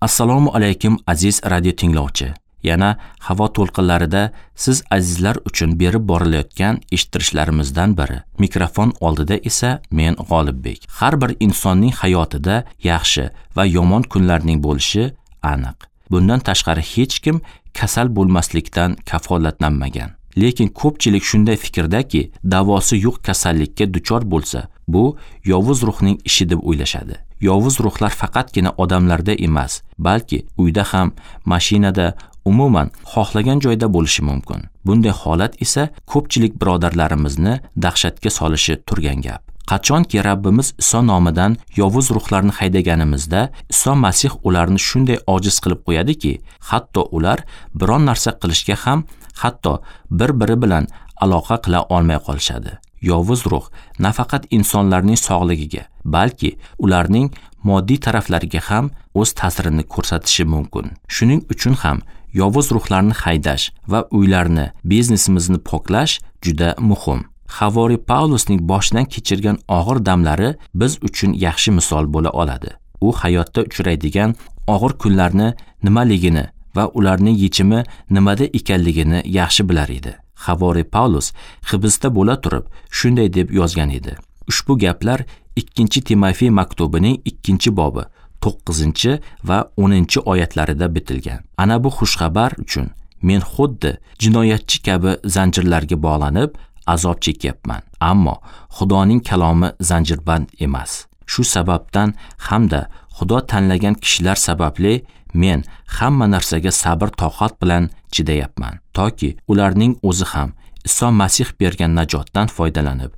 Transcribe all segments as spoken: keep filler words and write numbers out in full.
Assalomu alaykum aziz radio tinglovchi. Yana havo to'lqinlarida siz azizlar uchun berib borilayotgan eshittirishlarimizdan biri. Mikrofon oldida esa men G'olibbek. Har bir insonning hayotida yaxshi va yomon kunlarning bo'lishi aniq. Bundan tashqari hech kim kasal bo'lmaslikdan kafolatlanmagan. Lekin ko'pchilik shunday fikrdaki, davosi yo'q kasallikka duchor bo'lsa, bu yovuz ruhning ishi deb o'ylashadi. Yovuz ruhlar faqatgina odamlarda emas, balki uyda ham, mashinada, umuman xohlagan joyda bo'lishi mumkin. Bunday holat esa ko'pchilik birodarlarimizni dahshatga solishi turgan gap. Qachonki Rabbimiz Iso nomidan yovuz ruhlarni haydaganimizda, Iso Masih ularni shunday ojiz qilib qo'yadiki, hatto ular biron narsa qilishga ham, hatto bir-biri bilan aloqa qila olmay qolishadi. Yovuz ruh nafaqat insonlarning sog'ligiga, balki ularning moddiy taraflariga ham o'z ta'sirini ko'rsatishi mumkin. Shuning uchun ham yovuz ruhlarni haydash va uylarni, biznesimizni poklash juda muhim. Havori Pavlusning boshidan kechirgan og'ir damlari biz uchun yaxshi misol bo'la oladi. U hayotda uchraydigan og'ir kunlarni nimaligini va ularning yechimi nimada ekanligini yaxshi bilar edi. Havori Pavlus hibsda bo'la turib shunday deb yozgan edi. Ushbu gaplar ikkinchi Timofey maktubining ikkinchi bobi to'qqizinchi va o'ninchi oyatlarida bitilgan. Ana bu xushxabar uchun men xuddi jinoyatchi kabi zanjirlarga bog'lanib azob chekyapman. Ammo Xudoning kalomi zanjirband emas. Shu sababdan hamda Xudo tanlagan kishilar sababli men hamma narsaga sabr toqat bilan chidayapman, toki ularning o'zi ham Iso Masih bergan najotdan foydalanib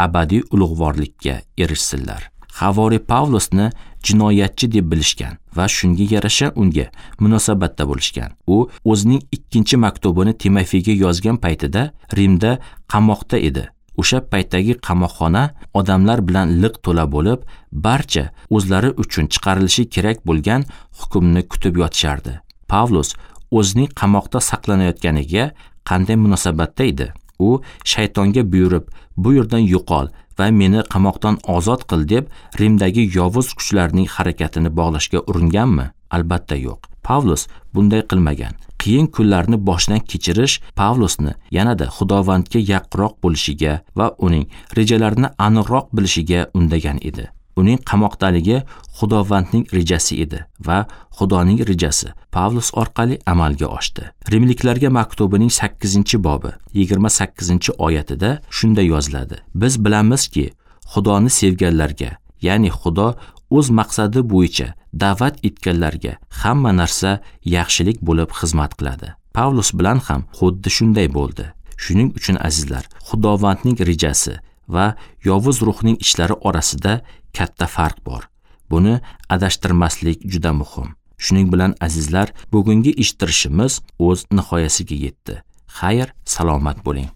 abadiy ulug'vorlikka erishsinlar. Havori Pavlusni jinoyatchi deb bilishgan va shunga yarasha unga munosabatda bo'lishgan. U o'zining ikkinchi maktubini Timofeyga yozgan paytida Rimda qamoqda edi. O'sha paytdagi qamoqxona odamlar bilan liq to'la bo'lib, barcha o'zlari uchun chiqarilishi kerak bo'lgan hukmni kutib yotishardi. Pavlus o'zining qamoqda saqlanayotganiga qanday munosabatda edi? U shaytonga buyurib, bu yerdan yo'qol va meni qamoqdan ozod qil deb Rimdagi yovuz kuchlarning harakatini bog'lashga uringanmi? Albatta yo'q. Pavlus bunday qilmagan. Qiyin kunlarni boshdan kechirish Pavlusni yanada Xudovandga yaqinroq bo'lishiga va uning rejalarini aniqroq bilishiga undagan edi. Uning qamoqdaligi Xudovandning rejasi edi va Xudoning rejasi Pavlus orqali amalga oshdi. Rimliklarga maktubining sakkizinchi bobi yigirma sakkizinchi oyatida shunday yoziladi: Biz bilamizki, Xudoni sevganlarga, ya'ni Xudo o'z maqsadi bo'yicha da'vat etganlarga hamma narsa yaxshilik bo'lib xizmat qiladi. Pavlus bilan ham xuddi shunday bo'ldi. Shuning uchun azizlar, Xudovandning rejasi va yovuz ruhning ishlari orasida katta farq bor. Buni adashtirmaslik juda muhim. Shuning bilan azizlar, bugungi eshittirishimiz o'z nihoyasiga yetdi. Xayr, salomat bo'ling.